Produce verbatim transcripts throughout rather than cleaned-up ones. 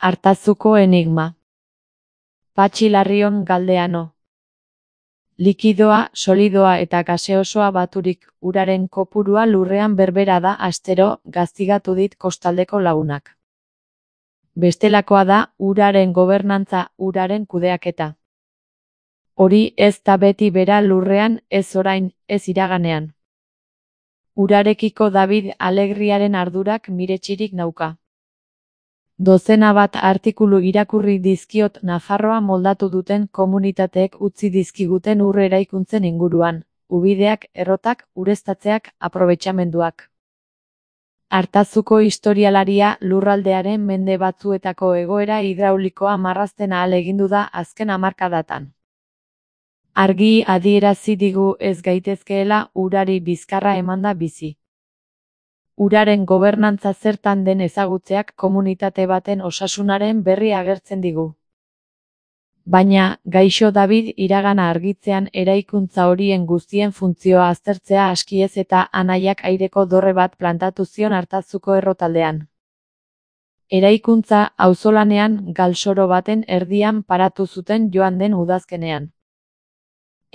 Artazuko enigma. Patxi Larrion Galdeano. Likidoa, solidoa eta gaseosoa baturik, uraren kopurua lurrean berbera da astero, gaztigatu dit kostaldeko lagunak. Bestelakoa da, uraren gobernantza, uraren kudeaketa. Hori ez da beti bera lurrean, ez orain, ez iraganean. Urarekiko David Alegriaren ardurak miretxirik nauka. Dozena bat artikulu irakurri dizkiot Nafarroa moldatu duten komunitateek utzi dizkiguten ur eraikuntzen inguruan, ubideak, errotak, ureztatzeak, aprobetxamenduak. Artazuko historialaria lurraldearen mende batzuetako egoera hidraulikoa marrazten ahalegindu da azken hamarkadatan. Argi adierazi digu ez gaitezkeela urari bizkarra emanda bizi. Uraren gobernantza zertan den ezagutzeak komunitate baten osasunaren berri agertzen digu. Baina, gaixo David iragana argitzean eraikuntza horien guztien funtzioa aztertzea askiez eta anaiak aireko dorre bat plantatu zion Artazuko errotaldean. Eraikuntza auzolanean galsoro baten erdian paratu zuten joan den udazkenean.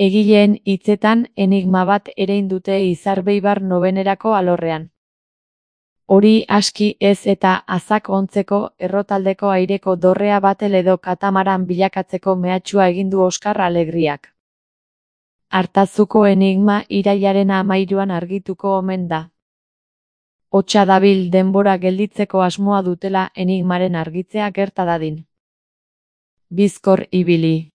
Egileen hitzetan enigma bat erein dute Izarbeibar nobenerako alorrean. Hori aski ez eta azak ontzeko errotaldeko aireko dorrea batel edo katamaran bilakatzeko mehatxua egin du Oskar Alegriak. Artazuko enigma irailaren hamairuan argituko omen da. Hotsa dabil denbora gelditzeko asmoa dutela enigmaren argitzea gerta dadin. Bizkor ibili.